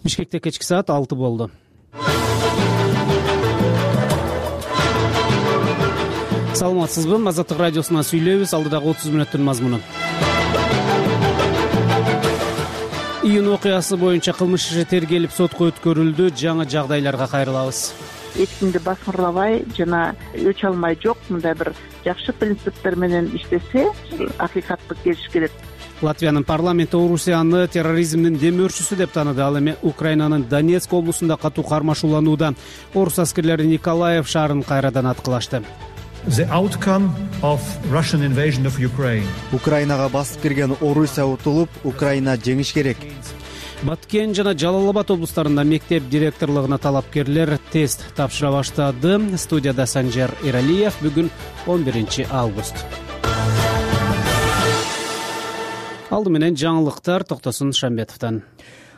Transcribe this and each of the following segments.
Бишкекте кечки саат 6 болду. Саламатсызбы? Азаттык радиосунан сүйлөйбүз. Алдыдагы 30 мүнөттүн мазмуну. Июнь окуясы боюнча кылмыш иши тергелип сотко өткөрүлдү. Жаңы жагдайларга кайрылабыз. Эч кимди баскырлабай жана өч алмай жок мындай бир жакшы принциптер менен иштесе акыйкатты келиш керек. Латвиянын парламенти Орусияны терроризмдин демөөрчүсү деп тааныды. Ал эми Украинанын Донецк облусунда катуу кармашууланууда. Орус аскерлери Николаев шаарын кайрадан аткылашты. The outcome of Russian invasion of Ukraine. Украинага басып кирген Орусия утулуп, Украина жеңиш керек. Баткен жана Жалал Абад облустарында мектеп директорлугуна талапкерлер тест тапшыра баштады. Студияда Санжар Эралиев. Бүгүн 11 август. Алды менен жаңылыктар Токтосун Шамбетовдон.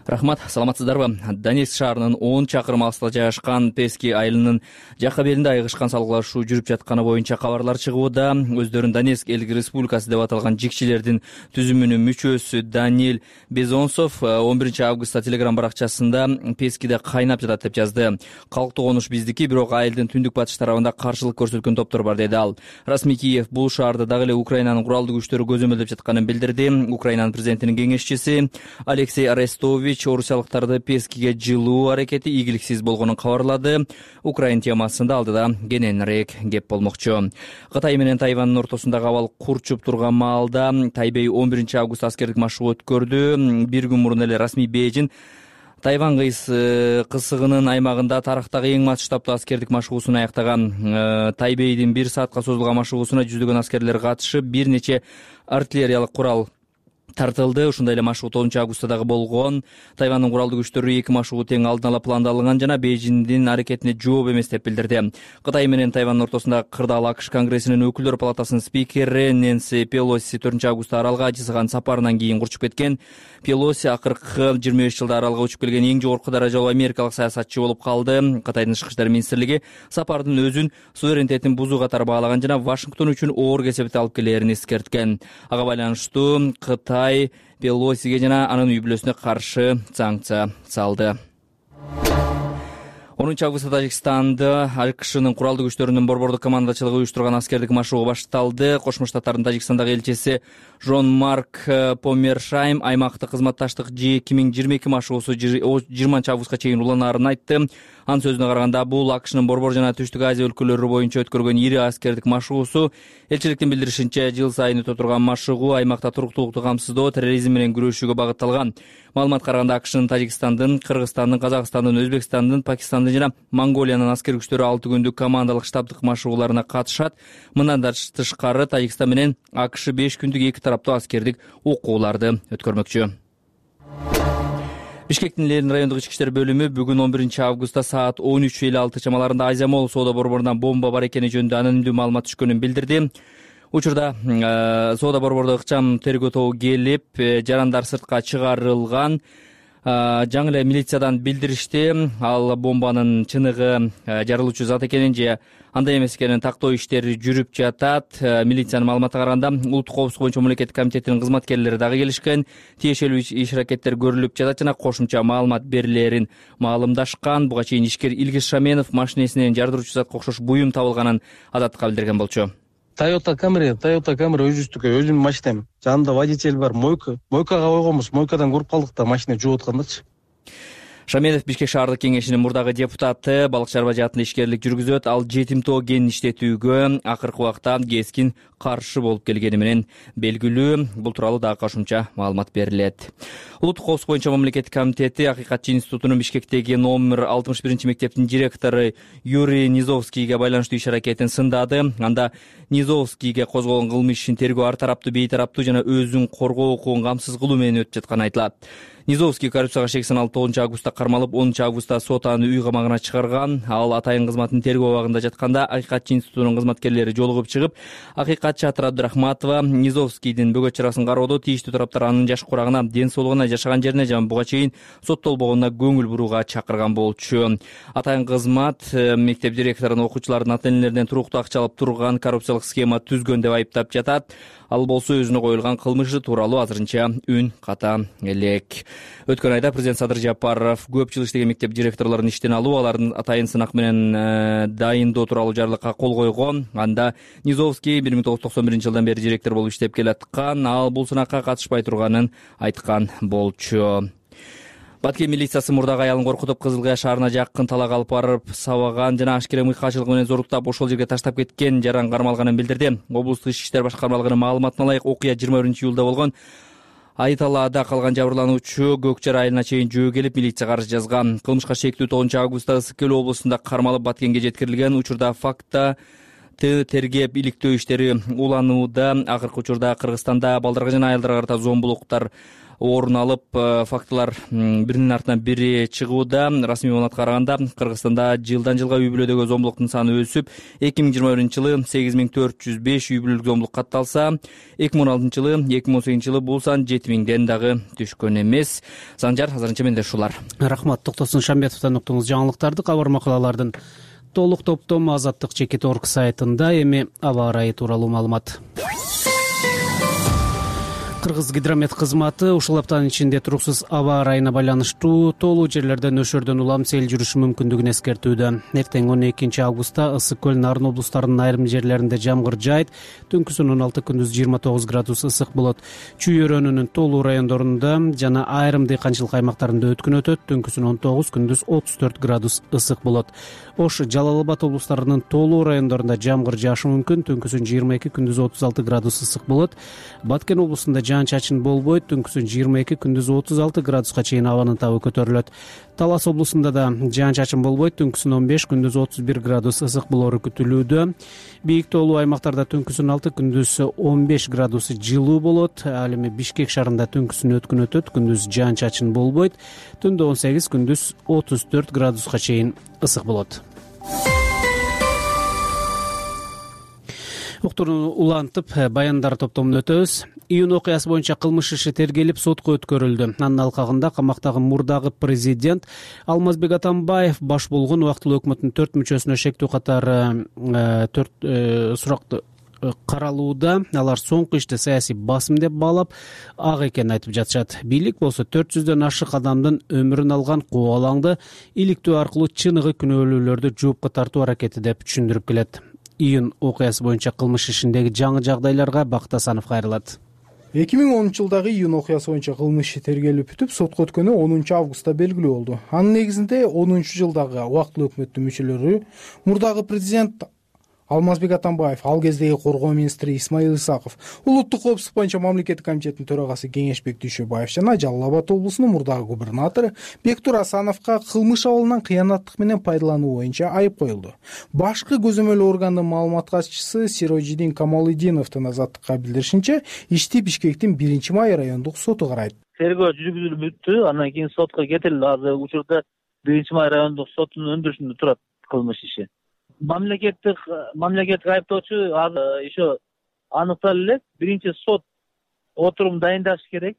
Рахмат, саламатсыздарбы? Донецк шаарынын 10 чакырым алыста жайгашкан Пески айылынын жакка белинде айыгышкан салгылашуу жүрүп жатканы боюнча кабарлар чыгууда. Өздөрүн Донецк элдик республикасы деп аталган жикчилердин түзүмүнүн мүчөсү Даниэль Безонсов 11 августта Телеграм баракчасында Пескиде кайнап жатат деп жазды. Калктуу конуш биздики, бирок айылдын түндүк батыш тарабында каршылык көрсөткөн топтор бар, деди ал. Расмий Киев бул шаарды дагы эле Украинанын куралдуу күчтөрү көзөмөлдөп жатканын билдирди. Украинанын президентинин кеңешчиси Алексей Арестович орусиялыктарды Пескиге жылуу аракети ийгиликсиз болгонун кабарлады. Украин темасында алдыда кененирээк кеп болмокчу. Кытай менен Тайвандын ортосундагы абал курчуп турган маалда Тайбэй 11 август аскердик машыгуу өткөрдү. Бир күн мурун эле расмий Бейжин Тайвань кысыгынын аймагында тарыхтагы эң масштабтуу аскердик машыгуусун аяктаган. Тайбэйдин 1 саатка созулган машыгуусуна жүздөгөн аскерлер катышып, бир нече артиллериялык курал тартылды. Ушундай эле машыгуу 9 августта дагы болгон. Тайвандын куралдуу күчтөрү 2 машыгуу тең алдын ала пландалган жана Бейжиңдин аракетине жооп эмес деп билдирди. Кытай менен Тайвандын ортосунда кырдаал АКШ Конгрессинин өкүлдөр палатасынын спикери Нэнси Пелоси 4 августта аралга жасаган сапарынан кийин курчуп кеткен. Пелоси акыркы 25 жылда аралга учуп келген эң жогорку даражалуу америкалык саясатчы болуп калды. Кытайдын тышкы иштер министрлиги сапардын өзүн суверенитетин бузуу катары баалаган жана Вашингтон үчүн оор кесепет алып келерин эскерткен. Ага байланыштуу Кытай Пелосиге жана анын үй бүлөсүнө каршы санкция салды. 10 августта Тажикстанда АКШнын куралдуу күчтөрүнүн борбордук командачылыгы уюштурган аскердик машыгуу башталды. Кошмо Штаттардын Тажикстандагы элчиси Жон-Марк Помершайм аймактык кызматташтык G2022 машыгуусу 20 августка чейин уланарын айтты. Анын сөзүнө караганда, бул АКШнын борбор жана Түштүк Азия өлкөлөрү боюнча өткөргөн ири аскердик машыгуусу. Элчиликтин билдиришинче, жыл сайын өтө турган машыгуу аймакта туруктуулукту камсыздоо, терроризм менен күрөшүүгө багытталган. Маалыматка караганда, АКШнын Тажикстандын, Кыргызстандын, Казакстандын, Өзбекстандын, Пакистандын жана Монголиянын аскер күчтөрү 6 күндүк командалык штабдык машыгууларына катышат. Мындан да тышкары Тажикстан менен АКШ 5 күндүк эки тараптуу аскердик окууларды өткөрмөкчү. Бишкектин Ленин райондук ички иштер бөлүмү бүгүн 11 августта саат 13:56 чамаларында Азия Молл соода борборунан бомба бар экени жөнүндө анонимдүү маалымат түшкөнүн билдирди. Учурда соода борбордо ыкчам тергөө тобу келип, жарандар сыртка чыгарылган. Жаңы эле милициядан билдиришти. Ал бомбанын чыныгы жарылуучу зат экенин же андай эмес экенин тактоо иштери жүрүп жатат. Милициянын маалыматына караганда, улуттук коопсуздук боюнча мамлекеттик комитетинин кызматкерлери дагы келишкен. Тиешелүү иш-аракеттер көрүлүп жатат жана кошумча маалымат берилерин маалымдашкан. Буга чейин ишкер Илгиз Шаменов машинесинен жардыруучу затка окшош буюм табылганын Азаттыкка билдирген болчу. Toyota Camry өзүнүн өзүмдүн машинем. Жанында водитель бар, мойкага койгонбуз. Мойкадан көрүп калдык да, машина жууп аткандачы. Шаменов Бишкек шаардык кеңешинин мурдагы депутаты, балык чарба жаатында ишкерлик жүргүзөт. Ал жетимтоо кен иштетүүгө акыркы убакта кескин каршы болуп келгени менен белгилүү. Бул тууралуу дагы кошумча маалымат берилет. Улуттук коопсуздук боюнча мамлекеттик комитети Акыйкатчы институтунун Бишкектеги номер 61 мектептин директору Юрий Низовскийге байланыштуу иш-аракетин сындады. Анда Низовскийге козголгон кылмыш ишин тергөө ар тараптуу, бейтараптуу жана өзүн коргоо укугун камсыз кылуу менен өтүп жатканы айтылат. Низовский коррупцияга шек саналып 9 августта кармалып, 10 августта сот аны үй камагына чыгарган. Ал атайын кызматынын тергөө абагында жатканда Акыйкатчы институтунун кызматкерлери жолугуп чыгып, Акыйкатчы Атыр Абдырахматова Низовскийдин бөгөт чарасын кароодо тийиштүү тараптар анын жаш курагына, ден соолугуна, жашаган жерине жана буга чейин соттолбогонуна көңүл бурууга чакырган болчу. Атайын кызмат мектеп директорун окуучулардын ата-энелеринен туруктуу акча алып турган коррупциялык схема түзгөн деп айыптап жатат. Ал болсо өзүнө коюлган кылмышы тууралуу азырынча үн ката элек. Өткөн айда президент Садыр Жапаров көп жыл иштеген мектеп директорлорун иштен алуу, алардын атайын сынак менен дайындоо тууралуу жарлыкка кол койгон. Анда Низовский 1991-жылдан бери директор болуп иштеп келаткан, ал бул сынакка катышпай турганын айткан болчу. Баткен милициясы мурдагы аялын коркутуп Кызыл Кыя шаарына жакын талак алып барып сабаган жана ашкере мыйкачылык менен зоруктап ошол жерге таштап кеткен жаран кармалганын билдирди. Облустук Ички иштер башкармалыгынын маалыматына ылайык окуя 21-июлда болгон. Айталаада калган жабырлануучу Көкчар айылына чейин жөө келип милицияга арыз жазган. Кылмышка шектүү 9-августта Ысык Көл облусунда кармалып Баткенге жеткирилген. Учурда фактта тергеп иликтөө иштери уланууда. Акыркы учурда Кыргызстанда балдарга жана аялдарга карата зомбулуктар орун алып, фактылар биринин артынан бири чыгууда. Расмий маалыматка караганда Кыргызстанда жылдан жылга үй бүлөдөгү зомбулуктун саны өсүп, 2021-жылы 8405 үй бүлөлүк зомбулук катталса, 2016-жылы, 2018-жылы бул сан 7000ден дагы түшкөн эмес. Санжар, азырынча менде ушулар. Рахмат. Токтосун Шамбетовдон уктуңуз жаңылыктарды. Кабар макалалардын толук топтому Азаттык Чекит.org сайтында. Эми аба ырайы тууралуу маалымат. Кыргыз гидромет кызматы ушул аптанын ичинде туруксуз аба ырайына байланыштуу тоолуу жерлерде нөшөрдөн улам сел жүрүшү мүмкүндүгүн эскертүүдө. Эртең 12-августта Ысык Көл, Нарын облустарынын айрым жерлеринде жамгыр жаайт. Түнкүсүн 16, күндүз 29 градус ысык болот. Чүй өрөөнүнүн тоолуу райондорунда жана айрым дыйканчылык аймактарында өткүн өтөт. Түнкүсүн 19, күндүз 34 градус ысык болот. Ош, Жалал Абад облустарынын тоолуу райондорунда жамгыр жаашы мүмкүн. Түнкүсүн 22, күндүз 36 градус ысык болот. Баткен облусунда жаан-чачын болбойт. Түнкүсүн 22, күндүз 36 градуска чейин абанын табы көтөрүлөт. Талас облусунда да жаан-чачын болбойт. Түнкүсүн 15, күндүз 31 градус ысык болору күтүлүүдө. Бийик тоолуу аймактарда түнкүсүн 6, күндүз 15 градус жылуу болот. Ал эми Бишкек шаарында түнкүсүн өткүн өтөт. Күндүз жаан-чачын болбойт. Түндө 18, күндүз 34 градуска чейин ысык болот. Уктурууну улантып, баяндар топтомун өтөбүз. Июнь окуясы боюнча кылмыш иши тергелип сотко өткөрүлдү. Анын алкагында камактагы мурдагы президент Алмазбек Атамбаев баш болгон убактылуу өкмөттүн 4 мүчөсүнө шектүү катары 4 суракты каралууда. Алар соңку ишти саясий басым деп баалап, ак экенин айтып жатышат. Бийлик болсо 400дөн ашык адамдын өмүрүн алган кубалаңды иликтөө аркылуу чыныгы күнөөлүүлөрдү жоопко тартуу аракети деп түшүндүрүп келет. Июнь окуясы боюнча кылмыш ишиндеги жаңы жагдайларга Бакыт Асанов кайрылат. 2010-жылдагы июнь окуясы боюнча кылмыш иши тергелип бүтүп, сотко өткөнү 10-августта белгилүү болду. Анын негизинде 10-жылдагы убактылуу өкмөттүн мүчөлөрү мурдагы президент Алмазбек Атамбаев, ал кездеги коргоо министри Исмаил Исаков, улуттук коопсуздук боюнча мамлекеттик комитеттин төрагасы Кеңешбек Дүйшөбаев жана Жалал Абад облусунун мурдагы губернатору Бектур Асановго кылмыш абалынан кыянаттык менен пайдалануу боюнча айып коюлду. Башкы көзөмөл органдын маалымат катчысы Сирожидин Камалидиновдун Азаттыкка билдиришинче, ишти Бишкектин 1-май райондук соту карайт. Тергөө жүргүзүлүп бүттү, андан кийин сотко кетирилди. Азыр учурда 1-май райондук соттун өндүрүшүндө турат кылмыш иши. Мамлекеттик айыптоочу еще аныкталып элек. Биринчи сот отурум дайындаш керек.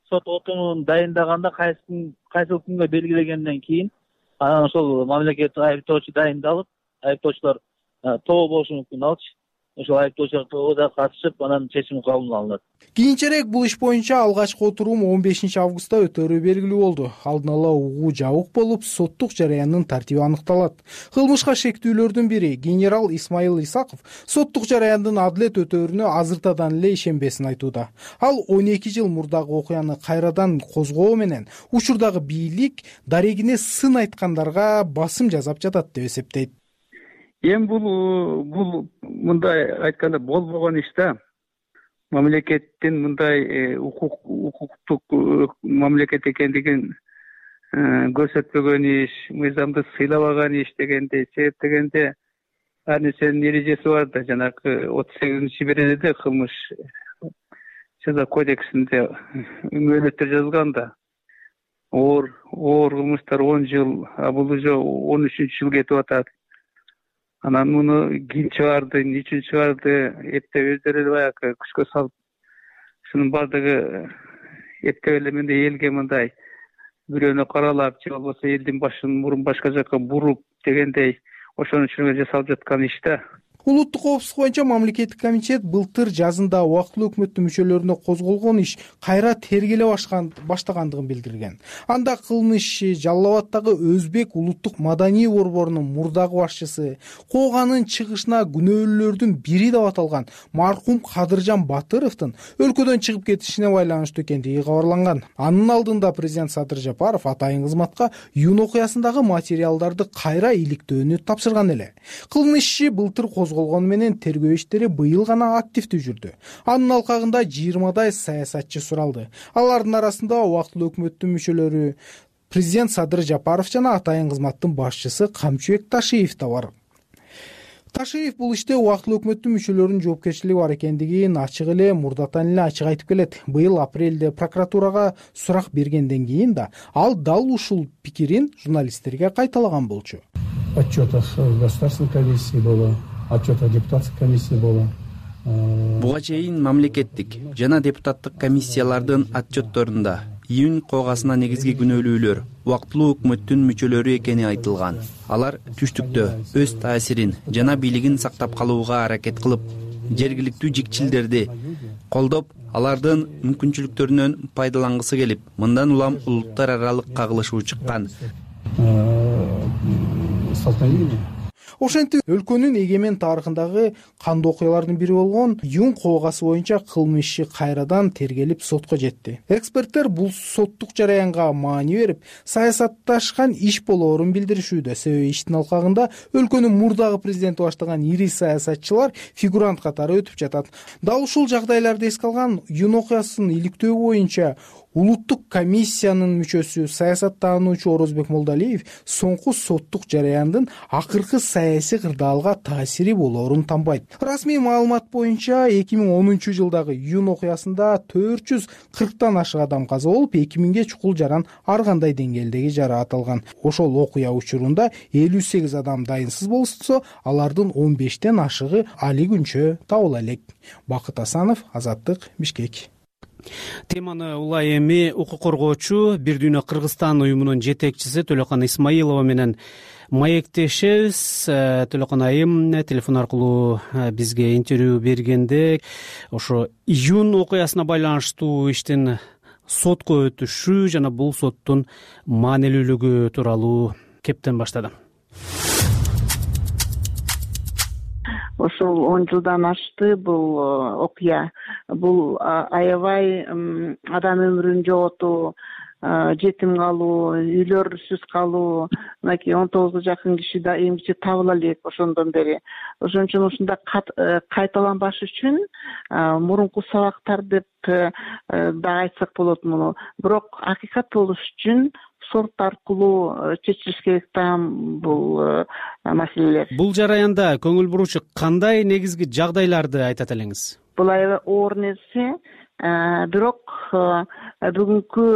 Сот отурумун дайындаганда кайсы күнгө белгилегенден кийин анан ошол мамлекеттик айыптоочу дайындалып, айыптоочулар тоо болушу мүмкүн алчы. Ошол айыптоочулар тоого катышып, анан чечим кабыл алынат. Кийинчерээк бул иш боюнча алгачкы отурум 15-августта өтөрү белгилүү болду. Алдын ала угуу жабык болуп, соттук жарыяндын тартиби аныкталат. Кылмышка шектүүлөрдүн бири генерал Исмаил Исаков соттук жарыяндын адилет өтөрүнө азыртадан эле ишенбесин айтууда. Ал 12 жыл мурдагы окуяны кайрадан козгоо менен учурдагы бийлик дарегине сын айткандарга басым жасап жатат деп эсептейт. Эми бул мындай айтканда болбогон иш да. Мамлекеттин мындай укуктук мамлекет экендигин көрсөтпөгөн иш, мыйзамды сыйлабаган иш дегенде, себептегенде ар нерсенин эрежеси бар да. Жанагы 38-беренеде кылмыш жаза кодексинде мөөнөттөр жазылган да. Оор кылмыштар 10 жыл, а бул уже 13-жыл кетип атат. Анан муну ким чыгарды, ничин чыгарды, эптеп өздөрү баягы күчкө салып, ушунун бардыгы эптеп эле мындай элге мындай бирөөнү каралап, же болбосо элдин башын мурун башка жака буруп дегендей ошонун үчүн жасалып жаткан иш да. Улуттук коопсуздук боюнча мамлекеттик комитет былтыр жазында убактылуу өкмөттүн мүчөлөрүнө козголгон иш кайра тергеле баштагандыгын билдирген. Анда кылмыш иши Жалал Абаддагы Өзбек улуттук маданий борборунун мурдагы башчысы, Кооганын чыгышына күнөөлүүлөрдүн бири деп аталган маркум Кадыржан Батыровдун өлкөдөн чыгып кетишине байланыштуу экендиги кабарланган. Анын алдында президент Садыр Жапаров атайын кызматка июнь окуясындагы материалдарды кайра иликтөөнү тапшырган эле. Кылмыш иши былтыр козголгону менен тергөө иштери быйыл гана активдүү жүрдү. Анын алкагында 20дай саясатчы суралды. Алардын арасында убактылуу өкмөттүн мүчөлөрү, президент Садыр Жапаров жана атайын кызматтын башчысы Камчыбек Ташиев да бар. Ташиев бул иште убактылуу өкмөттүн мүчөлөрүнүн жоопкерчилиги бар экендигин ачык эле мурдатан эле ачык айтып келет. Быйыл апрелде прокуратурага сурак бергенден кийин да ал дал ушул пикирин журналисттерге кайталаган болчу. Отчетов государственной комиссии было, отчетов депутатской комиссии было. Буга чейин мамлекеттик жана депутаттык комиссиялардын отчетторунда июнь коогасына негизги күнөөлүүлөр убактылуу өкмөттүн мүчөлөрү экени айтылган. Алар түштүктө өз таасирин жана бийлигин сактап калууга аракет кылып, жергиликтүү жикчилдерди колдоп, алардын мүмкүнчүлүктөрүнөн пайдалангысы келип, мындан улам улуттар аралык кагылышуу чыккан. Ошентип өлкөнүн эгемен тарыхындагы кандуу окуялардын бири болгон июнь коогасы боюнча кылмыш иши кайрадан тергелип сотко жетти. Эксперттер бул соттук жараянга маани берип, саясатташкан иш болоорун билдиришүүдө. Себеби иштин алкагында өлкөнүн мурдагы президенти баштаган ири саясатчылар фигурант катары өтүп жатат. Дал ушул жагдайларды эске алган июнь окуясын иликтөө боюнча улуттук комиссиянын мүчөсү, саясаттануучу Орозбек Молдалиев соңку соттук жараяндын акыркы саясий кырдаалга таасири болоорун танбайт. Расмий маалымат боюнча 2010 жылдагы июнь окуясында 440тан ашык адам каза болуп, 2000ге чукул жаран ар кандай деңгээлдеги жараат алган. Ошол окуя учурунда 58 адам дайынсыз болсо, алардын 15тен ашыгы али күнчө табыла элек. Бакыт Асанов, Азаттык, Бишкек. Теманы улай эми укук коргоочу Бир Дүйнө Кыргызстан уюмунун жетекчиси Төлөкан Исмаилова менен маектешебиз. Төлөкан айым телефон аркылуу бизге интервью бергенде ошо июнь окуясына байланыштуу иштин сотко өтүшү жана бул соттун маанилүүлүгү тууралуу кептен баштады. Ошол 10 жылдан ашты бул окуя. Бул аябай адам өмүрүн жоготуу, жетим калуу, үйлөрсүз калуу, мынакей 19га жакын киши да эмгиче табыла элек ошондон бери. Ошон үчүн ушунда кайталанбаш үчүн мурунку сабактар деп да айтсак болот муну. Бирок акыйкат болуш үчүн сот аркылуу чечилиш керек да бул маселелер. Бул жараянда көңүл буруучу кандай негизги жагдайларды айтат элеңиз? Бул аябай оор нерсе, бирок бүгүнкү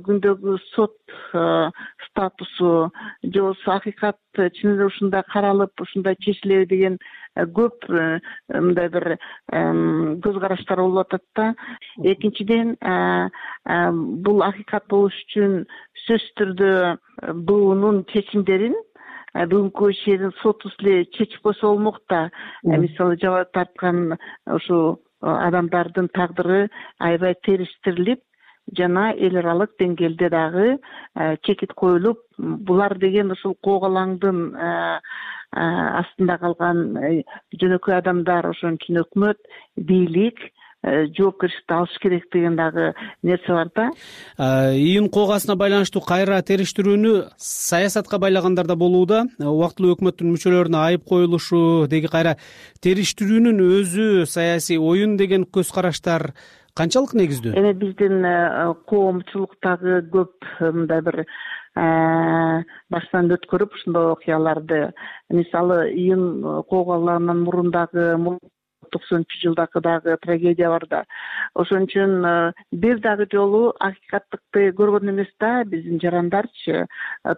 күндөгү сот статусу же болбосо акыйкат чын эле ушундай каралып, ушундай чечилеби деген көп мындай бир көз караштар болуп атат да. Экинчиден, бул акыйкат болуш үчүн сөзсүз түрдө буунун чечимдерин бүгүнкү ишерин сотубуз эле чечип койсо болмок да. Мисалы жабайы тарткан ушул адамдардын тагдыры аябай териштирилип, жана эл аралык деңгээлде дагы чекит коюлуп, булар деген ушул коогалаңдын астында калган жөнөкөй адамдар, ошон үчүн өкмөт, бийлик жоопкерчиликти алыш керек деген дагы нерсе бар да. Июнь коогасына байланыштуу кайра териштирүүнү саясатка байлагандар да болууда. Убактылуу өкмөттүн мүчөлөрүнө айып коюлушу, деги кайра териштирүүнүн өзү саясий оюн деген көз караштар канчалык негиздүү? Эми биздин коомчулуктагы көп мындай бир баштан өткөрүп ушундай окуяларды, мисалы июнь коогаларынан мурун дагы 90-жылдагы дагы трагедия бар да. Ошон үчүн бир дагы жолу акыйкаттыкты көргөн эмес да биздин жарандарчы,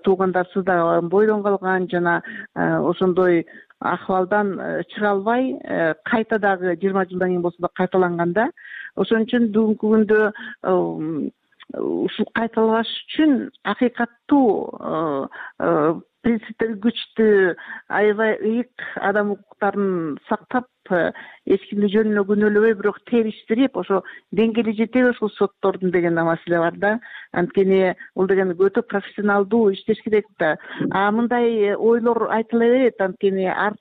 туугандарсыз да бойдон калган жана ошондой акыбалдан чыга албай кайта дагы 20 жылдан кийин болсо да кайталанганда. Ошон үчүн бүгүнкү күндө ушул кайталабаш үчүн акыйкаттуу принциптери күчтүү, аябай ыйык адам укуктарын сактап, эч кимди жөнүнө күнөөлөбөй, бирок териштирип ошо деңгээли жетеби ушул соттордун деген маселе бар да. Анткени бул деген өтө профессионалдуу иштеш керек да. Мындай ойлор айтыла берет, анткени ар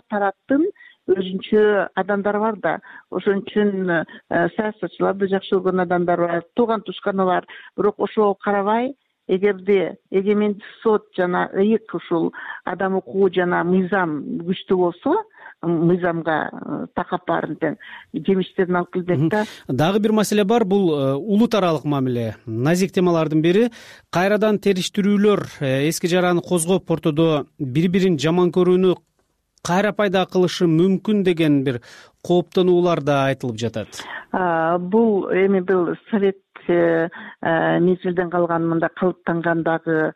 тараптын өзүнчө адамдар бар да. Ошон үчүн саясатчыларды жакшы көргөн адамдар бар, тууган тушканы бар. Бирок ошого карабай, эгерде эгемендик сот жана ыйык ушул адам укугу жана мыйзам күчтүү болсо, мыйзамга такап баарын тең жемиштерин алып келбек да. Дагы бир маселе бар, бул улут аралык мамиле. Назик темалардын бири кайрадан териштирүүлөр эски жараны козгоп, ортодо бири-бирин жаман көрүүнү кайра пайда кылышы мүмкүн деген бир кооптонуулар да айтылып жатат. Бул эми бул совет мезгилден калган мындай калыптанган дагы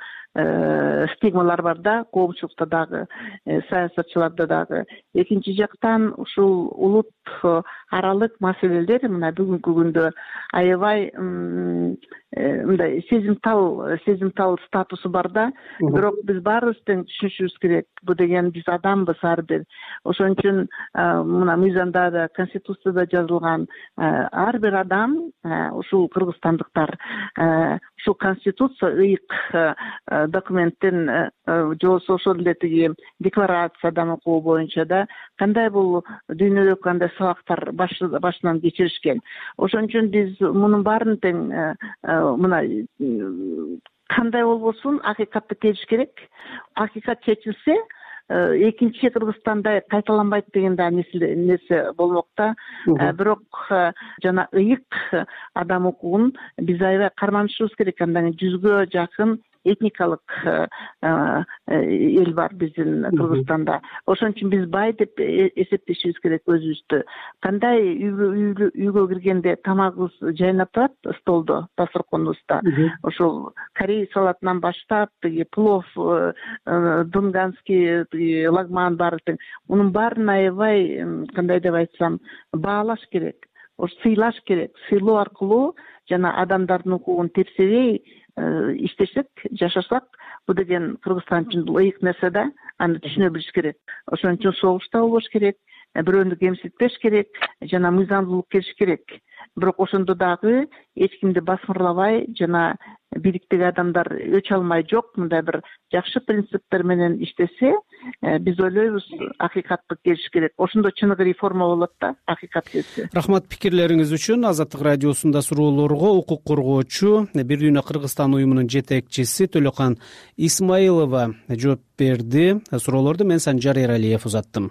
стигмалар бар да, коомчулукта дагы, саясатчыларда дагы. Экинчи жактан ушул улут аралык маселелер мына бүгүнкү күндө аябай мындай сезимтал статусу бар да. Бирок биз баарыбыз тең түшүнүшүбүз керек. Бул деген биз адамбыз ар бир. Ошон үчүн мына мыйзамда да, конституцияда жазылган ар бир адам, ушул кыргызстандыктар ушул конституция ыйык документтен же болбосо ошол эле тиги декларация адам укугу боюнча да кандай бул дүйнөдө кандай сабактар башынан кечиришкен. Ошон үчүн биз мунун баарын тең мына кандай болбосун акыйкатты чечиш керек. Акыйкат чечилсе, экинчи Кыргызстандай кайталанбайт деген да нерсе болмок да. Бирок жана ыйык адам укугун биз аябай карманышыбыз керек. Андан 100гө жакын этникалык эл бар биздин Кыргызстанда. Ошон үчүн биз бай деп эсептешибиз керек өзүбүздү. Кандай үйгө киргенде тамагыбыз жайнап турат столдо, дасторконубузда. Ошол корей салатынан баштап, плов, дунганский, лагман баары тең. Мунун баарын аябай, кандай деп айтсам, баалаш керек. Сыйлаш керек. Сыйлоо аркылуу жана адамдардын укугун тепсебей иштесек, жашасак, бул деген Кыргызстан үчүн ыйык нерсе да, аны түшүнө билиш керек. Ошон үчүн согушта болбош керек, бирөөнү кемсинтпеш керек, жана мыйзамдуулук келиш керек. Бирок ошондо дагы эч кимди басмырлабай жана бириктеги адамдар өч алмай жок, мындай бир жакшы принциптер менен иштесе, биз ойлойбуз акыйкатты келиш керек. Ошондо чыныгы реформа болот да, акыйкат келсе. Рахмат пикирлериңиз үчүн. Азаттык радиосунда суроолорго укук коргоочу Бир дүйнө Кыргызстан уюмунун жетекчиси Төлөкан Исмаилова жооп берди. Суроолорду мен Санжар Эралиев узаттым.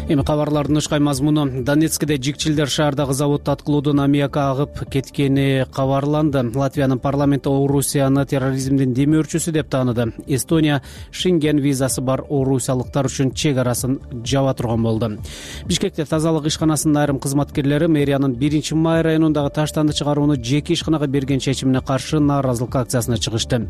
Эми кабарлардын ышкай мазмуну. Донецкиде жикчилдер шаардагы заводду аткылоодон аммиак агып кеткени кабарланды. Латвиянын парламенти Орусияны терроризмдин демөөрчүсү деп тааныды. Эстония Шенген визасы бар орусиялыктар үчүн чек арасын жаба турган болду. Бишкекте тазалык ишканасынын айрым кызматкерлери мэриянын 1-май районундагы таштанды чыгарууну жеке ишканага берген чечимине каршы нааразылык акциясына чыгышты.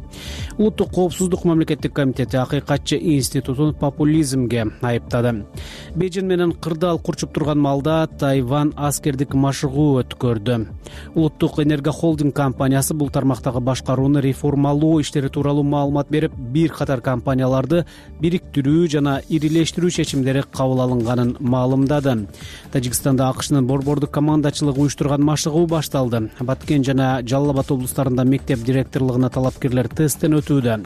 Улуттук коопсуздук мамлекеттик комитети Акыйкатчы институтун популизмге айыптады. Бейжин менен кырдаал курчуп турган маалда Тайвань аскердик машыгуу өткөрдү. Улуттук энергия холдинг компаниясы бул тармактагы башкарууну реформалоо иштери тууралуу маалымат берип, бир катар компанияларды бириктирүү жана ирилештирүү чечимдери кабыл алынганын маалымдады. Тажикстанда АКШнын борбордук командачылыгы уюштурган машыгуу башталды. Баткен жана Жалал Абад облустарында мектеп директорлугуна талапкерлер тесттен өтүүдө.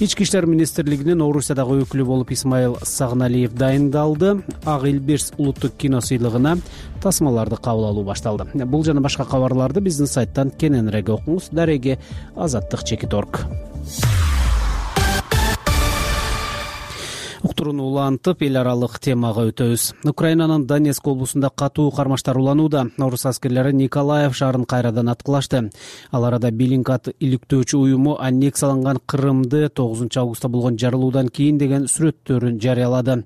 Ички иштер министрлигинин Орусиядагы өкүлү болуп Исмаил Сагналиев дайындалды. Ак Илбирс улуттук кино сыйлыгына тасмаларды кабыл алуу башталды. Бул жана башка кабарларды биздин сайттан кененирээк окуңуз. Дареги Азаттык.org. Уктурууну улантып, эл аралык темага өтөбүз. Украинанын Донецк облусунда катуу кармаштар уланууда. Орус аскерлери Николаев шаарын кайрадан аткылашты. Ал арада Белинкат иликтөөчү уюму аннексияланган Крымды 9 августта болгон жарылуудан кийин деген сүрөттөрүн жарыялады.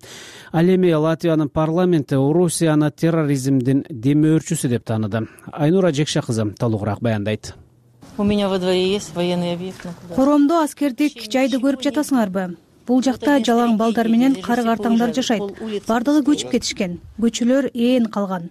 Ал эми Латвиянын парламенти Орусияны терроризмдин демөөрчүсү деп тааныды. Айнура Жекша кызы толугураак баяндайт. У меня во дворе есть военный объект. Коромдо аскердик жайды көрүп жатасыңарбы? Бул жакта жалаң балдар менен кары картаңдар жашайт. Бардыгы көчүп кетишкен. Көчөлөр ээн калган.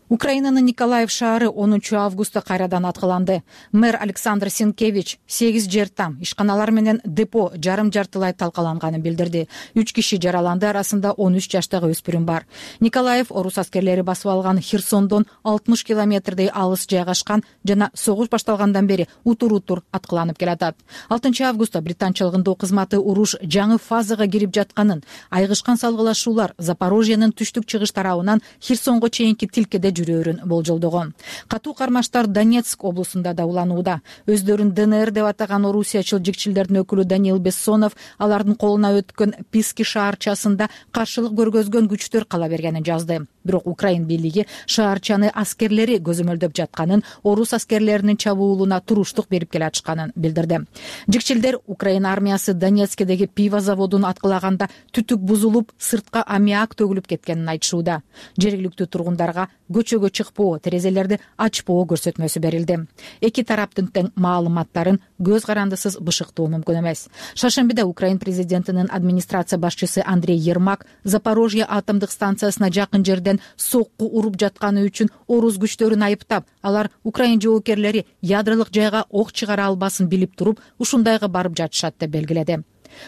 Украинанын Николаев шаары 10 августта кайрадан аткыланды. Мэр Александр Сенкевич 8 жер там, ишканалар менен депо жарым-жартылай талкаланганын билдирди. 3 киши жараланды, арасында 13 жаштагы өспүрүм бар. Николаев орус аскерлери басып алган Херсондон 60 километрдей алыс жайгашкан жана согуш башталгандан бери утур-утур аткыланып келатат. 6 августта британчылык ындоо кызматы уруш жаңы фазага кирип жатканын, айгышкан салгылашуулар Запорожьенин түштүк-чыгыш тарабынан Херсонго чейинки тилкеде жүрөөрүн болжолдогон. Катуу кармаштар Донецк облусунда да уланууда. Өздөрүн ДНР деп атаган орусиячыл жикчилдердин өкүлү Даниил Бессонов алардын колуна өткөн Писки шаарчасында каршылык көргөзгөн күчтөр кала бергенин жазды. Бирок Украин бийлиги шаарчаны аскерлери көзөмөлдөп жатканын, орус аскерлеринин чабуулуна туруштук берип келатышканын билдирди. Жикчилдер Украина армиясы Донецкдеги пиво заводун аткылаганда түтүк бузулуп, сыртка аммиак төгүлүп кеткенин айтышууда. Жергиликтүү тургундарга көчөгө чыкпоо, терезелерди ачпоо көрсөтмөсү берилди. Эки тараптын тең маалыматтарын көз карандысыз бышыктоо мүмкүн эмес. Шаршембиде Украин президентинин администрация башчысы Андрей Ермак Запорожье атомдук станциясына жакын жерден сокку уруп жатканы үчүн орус күчтөрүн айыптап, алар Украин жоокерлери ядролук жайга ок чыгара албасын билип туруп, ушундайга барып жатышат деп белгиледи.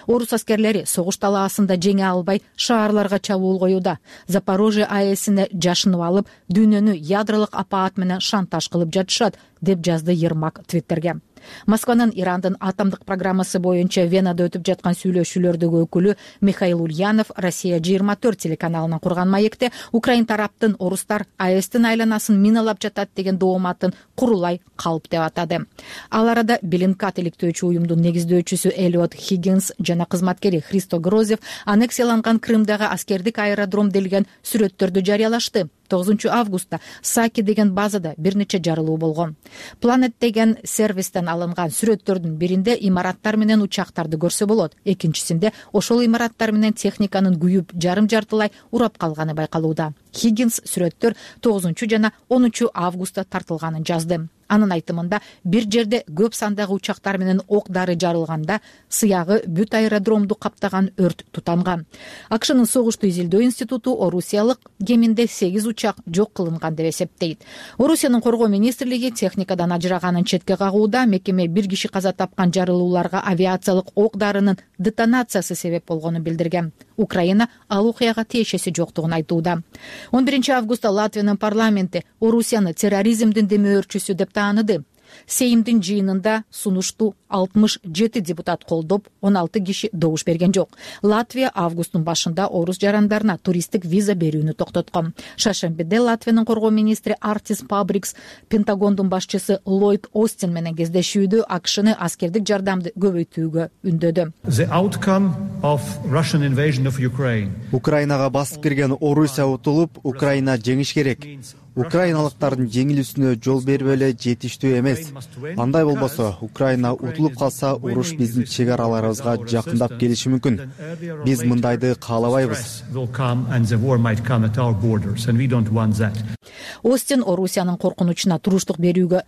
Орус аскерлери согуш талаасында жеңе албай шаарларга чабуул коюуда. Запорожье АЭСине жашынып алып, дүйнөнү ядролук апаат менен шантаж кылып жатышат, деп жазды Ермак Твиттерге. Москванын Ирандын атомдук программасы боюнча Венада өтүп жаткан сүйлөшүүлөрдөгү өкүлү Михаил Ульянов Россия 24 телеканалынан курган маекте Украин тараптын орустар АЭСтин айланасын миналап жатат деген дооматын курулай калп деп атады. Ал арада Белинкат иликтөөчү уюмдун негиздөөчүсү Элиот Хиггинс жана кызматкери Христо Грозев аннексияланган Крымдагы аскердик аэродром делген сүрөттөрдү жарыялашты. 9 августта Саки деген базада бир нече жарылуу болгон. Planet деген сервистен алынган сүрөттөрдүн биринде имараттар менен учактарды көрсө болот, экинчисинде ошол имараттар менен техниканын күйүп жарым-жартылай урап калганы байкалууда. Хиггинс сүрөттөр 9 жана 10 августта тартылганын жазды. Анын айтымында бир жерде көп сандагы учактар менен ок дары жарылганда сыягы бүт аэродромду каптаган өрт тутанган. АКШнын согушту изилдөө институту орусиялык кеминде 8 учак жок кылынган деп эсептейт. Орусиянын коргоо министрлиги техникадан ажыраганын четке кагууда, мекеме бир киши каза тапкан жарылууларга авиациялык ок дарынын детонациясы себеп болгонун билдирген. Украина ал окуяга тиешеси жоктугун айтууда. 11 августта Латвиянын парламенти Орусияны терроризмдин демөөрчүсү деп тааныды. Сеймдин жыйынында сунушту 67 депутат колдоп, 16 киши добуш берген жок. Латвия августтун башында орус жарандарына туристтик виза берүүнү токтоткон. Шаршембиде Латвиянын коргоо министри Артис Пабрикс Пентагондун башчысы Ллойд Остин менен кездешүүдө АКШны аскердик жардамды көбөйтүүгө үндөдү. Украинага басып кирген Орусия утулуп, Украина жеңиш керек. Украиналыктардын жеңилүүсүнө жол берип эле жетиштүү эмес. Андай болбосо, Украина утулуп калса, уруш биздин чек араларыбызга жакындап келиши мүмкүн. Биз мындайды каалабайбыз. Остин Орусиянын коркунучуна туруштук берүүгө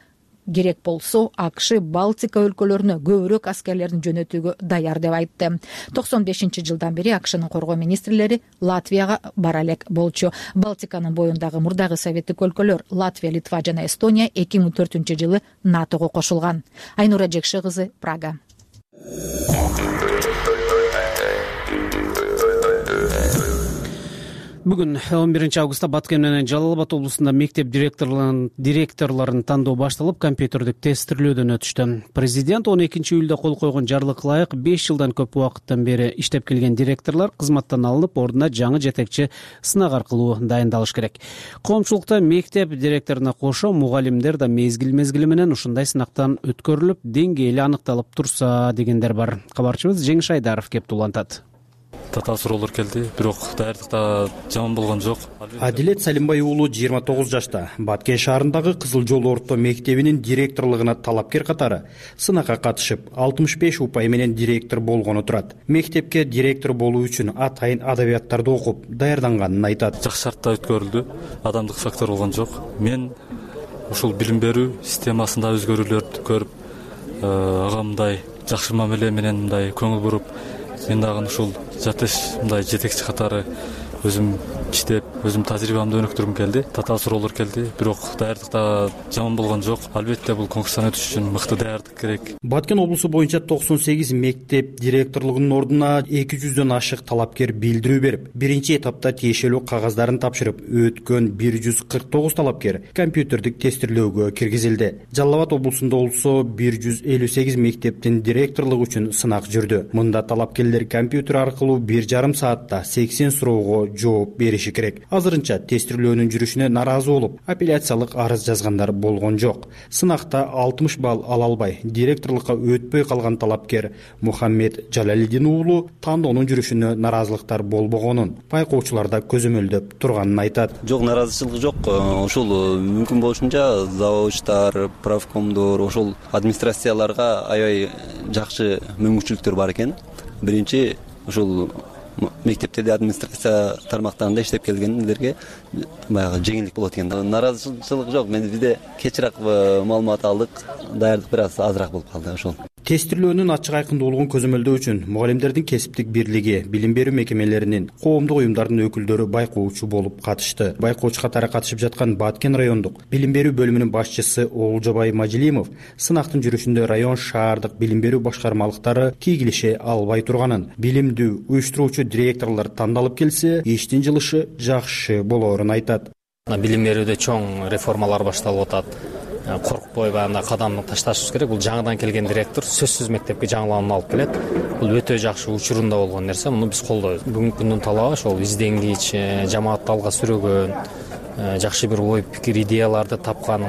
керек болсо, АКШ Балтика өлкөлөрүнө көбүрөөк аскерлерин жөнөтүүгө даяр деп айтты. 95-жылдан бери АКШнын коргоо министрлери Латвияга бара элек болчу. Балтиканын боюндагы мурдагы советтик өлкөлөр Латвия, Литва жана Эстония 2004-жылы НАТОго кошулган. Айнура Жекши кызы, Прага. Бүгүн 11 августта Баткен менен Жалал Абад облусунда мектеп директорлорун тандоо башталып, компьютердик тестирлөөдөн өтүштү. Президент 12 июлда кол койгон жарлыкка ылайык 5 жылдан көп убакыттан бери иштеп келген директорлор кызматтан алынып, ордуна жаңы жетекчи сынак аркылуу дайындалыш керек. Коомчулукта мектеп директоруна кошо мугалимдер да мезгил менен ушундай сынактан өткөрүлүп, деңгээли аныкталып турса дегендер бар. Кабарчыбыз Жеңиш Айдаров кеп улантат. Татаал суроолор келди, бирок даярдыкта жаман болгон жок. Адилет Салимбай уулу 29 жашта. Баткен шаарындагы Кызыл жол орто мектебинин директорлугуна талапкер катары сынакка катышып, 65 упай менен директор болгону турат. Мектепке директор болуу үчүн атайын адабияттарды окуп, даярданганын айтат. Жакшы шартта өткөрүлдү, адамдык фактор болгон жок. Мен ушул билим берүү системасында өзгөрүүлөрдү көрүп, ага мындай жакшы мамиле менен мындай көңүл буруп, мен дагы ушул жатыш мындай жетекчи катары өзүм иштеп, өзүм тажрыйбамды өнүктүргүм келди. Татаал суроолор келди, бирок даярдык да жаман болгон жок. Албетте бул конкурстан өтүш үчүн мыкты даярдык керек. Баткен облусу боюнча 98 мектеп директорлугунун ордуна 200дөн ашык талапкер билдирүү берип, биринчи этапта тиешелүү кагаздарын тапшырып, өткөн 149 талапкер компьютердик тестирлөөгө киргизилди. Жалал Абад облусунда болсо 158 мектептин директорлугу үчүн сынак жүрдү. Мында талапкерлер компьютер аркылуу 1,5 саатта 80 суроого жооп бериши керек. Азырынча тестирлөөнүн жүрүшүнө нааразы болуп, апелляциялык арыз жазгандар болгон жок. Сынакта 60 балл ала албай, директорлукка өтпөй калган талапкер Мухаммед Жалалидин уулу тандоонун жүрүшүнө нааразылыктар болбогонун, байкоочуларда көзөмөлдөп турганын айтат. Жок, нааразычылык жок. Ошол мүмкүн болушунча заводчтар, правкомдор, ошол администрацияларга аябай жакшы мүмкүнчүлүктөр бар экен. Биринчи ошол мектептерде администрация тармактарында иштеп келгендерге баягы жеңилдик болот экен. Нааразычылык жок. Бизде кечирээк маалымат алдык, даярдык бир аз азыраак болуп калды ошол. Тестирлөөнүн ачык айкындуулугун көзөмөлдөө үчүн мугалимдердин кесиптик бирлиги, билим берүү мекемелеринин, коомдук уюмдардын өкүлдөрү байкоочу болуп катышты. Байкоочу катары катышып жаткан Баткен райондук билим берүү бөлүмүнүн башчысы Оолжобай Мажилимов сынактын жүрүшүндө район шаардык билим берүү башкармалыктары тийгилише албай турганын, билимдүү уюштуруучу директорлор тандалып келсе, иштин жылышы жакшы болоорун айтат. Билим берүүдө чоң реформалар башталып атат. Коркпой баягы кадам ташташыбыз керек. Бул жаңыдан келген директор сөзсүз мектепке жаңылануу алып келет. Бул өтө жакшы учурунда болгон нерсе. Муну биз колдойбуз. Бүгүнкү күндүн талабы ошол изденгич, жамаатты алга сүрөгөн, жакшы бир ой пикир, идеяларды тапкан,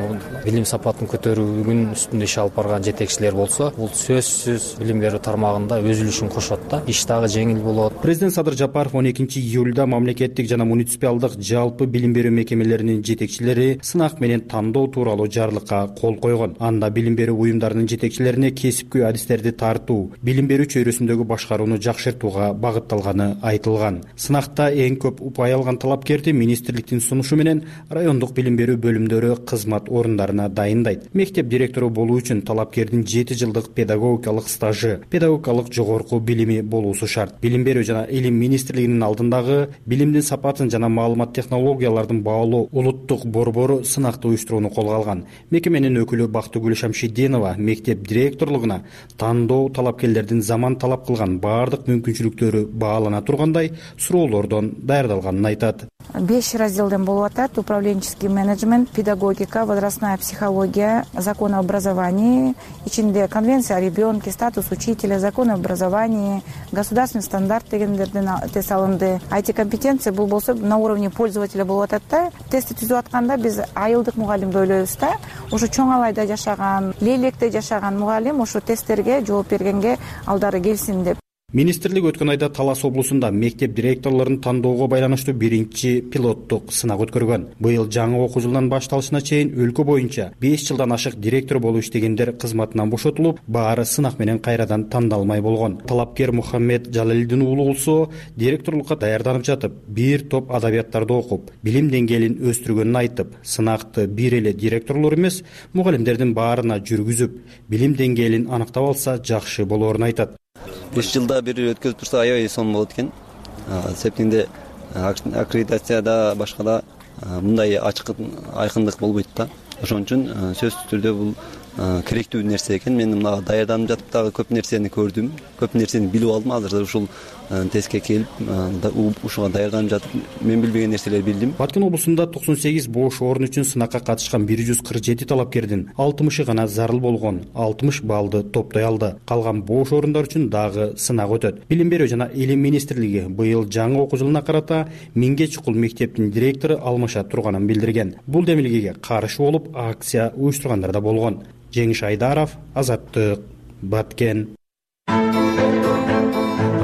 билим сапатын көтөрүүнүн үстүндө иш алып барган жетекчилер болсо, бул сөзсүз билим берүү тармагында өз үлүшүн кошот да. Иш дагы жеңил болот. Президент Садыр Жапаров 12-июлда мамлекеттик жана муниципалдык жалпы билим берүү мекемелеринин жетекчилери сынак менен тандоо тууралуу жарлыкка кол койгон. Анда билим берүү уюмдарынын жетекчилерине кесипкөй адистерди тартуу, билим берүү чөйрөсүндөгү башкарууну жакшыртууга багытталганы айтылган. Сынакта эң көп упай алган талапкерди министрликтин сунушу менен райондук билим берүү бөлүмдөрү кызмат орундарына дайындайт. Мектеп директору болуу үчүн талапкердин 7 жылдык педагогикалык стажы, педагогикалык жогорку билими болуусу шарт. Билим берүү жана илим министрлигинин алдындагы билимдин сапатын жана маалымат технологиялардын баалоо улуттук борбору сынакты уюштурууну колго алган. Мекеменин өкүлү Бактыгүл Шамшидинова мектеп директорлугуна тандоо талапкерлердин заман талап кылган баардык мүмкүнчүлүктөрү баалана тургандай суроолордон даярдалганын айтат. 5 разделден болуп атат: управленческий менеджмент, педагогика, возрастная психология, закон о образовании, ичинде конвенция о ребенке, статус учителя, закон о образовании, государственный стандарт дегендерден тест алынды. IT компетенция бул болсо на уровне пользователя болуп атат да. Тестти түзүп атканда биз айылдык мугалимди ойлойбуз да. Ошо чоң Алайда жашаган, Лейлекте жашаган мугалим ошо тесттерге жооп бергенге алдары келсин деп. Министрлик өткөн айда Талас облусунда мектеп директорлорун тандоого байланыштуу биринчи пилоттук сынак өткөргөн. Быйыл жаңы окуу жылынын башталышына чейин өлкө боюнча 5 жылдан ашык директор болуп иштегендер кызматынан бошотулуп, баары сынак менен кайрадан тандалмай болгон. Талапкер Мухаммед Жалалидин уулу болсо, директорлукка даярданып жатып, бир топ адабияттарды окуп, билим деңгээлин өстүргөнүн айтып, сынакты бир эле директорлор эмес, мугалимдердин баарына жүргүзүп, билим деңгээлин аныктап алса жакшы болоорун айтат. 5 жылда бир өткөзүп турса аябай сонун болот экен. Септинде аккредитацияда башка да мындай ачык айкындык болбойт да. Ошон үчүн сөзсүз түрдө бул керектүү нерсе экен. Мен мына даярданып жатып дагы көп нерсени көрдүм, көп нерсени билип алдым. Азыр ушул тестке келип, ушуга даярданып жатып, мен билбеген нерселерди билдим. Баткен облусунда 98 бош орун үчүн сынакка катышкан 147 талапкердин 60-ы гана зарыл болгон, 60 баллды топтой алды. Калган бош орундар үчүн дагы сынак өтөт. Билим берүү жана илим министрлиги быйыл жаңы окуу жылына карата 1000ге чукул мектептин директору алмаша турганын билдирген. Бул демилгеге каршы болуп акция уюштургандар да болгон. Жеңиш Айдаров, Азаттык, Баткен.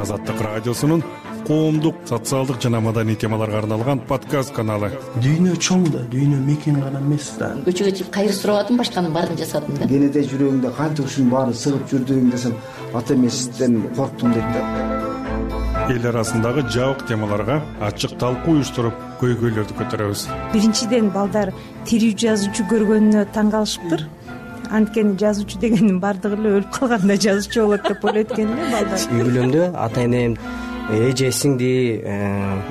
Азаттык радиосунун коомдук, социалдык жана маданий темаларга арналган подкаст каналы. Дүйнө чоң да, дүйнө мекен гана эмес да. Көчөгө чыгып кайыр сурабадым, башканын баарын жасадым да. Кенеде жүрөгүңдө канча ушунун баары сыгып жүрдүң десем, ата эмесизден корктум дейт да. Эл арасындагы жабык темаларга ачык талкуу уюштуруп, көйгөйлөрдү көтөрөбүз. Биринчиден балдар тирүү жазуучу көргөнүнө таң калышыптыр. Анткени жазуучу дегендин бардыгы эле өлүп калганда жазуучу болот деп ойлойт экен да балдар. Үй бүлөмдө ата энем эже сиңди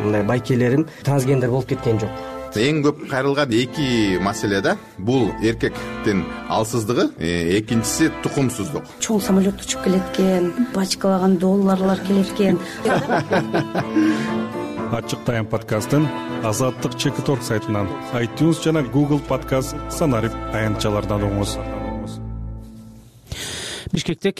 мындай байкелерим трансгендер болуп кеткен жок. Эң көп кайрылган эки маселе да, бул эркектин алсыздыгы, экинчиси тукумсуздук. Чоң самолет учуп келеткен, бачкалаган долларлар келеркен. Ачык тайм подкастын Азаттык Чекиторг сайтынан, iTunes жана Google подкаст санарип аянтчалардан угуңуз. Бишкекте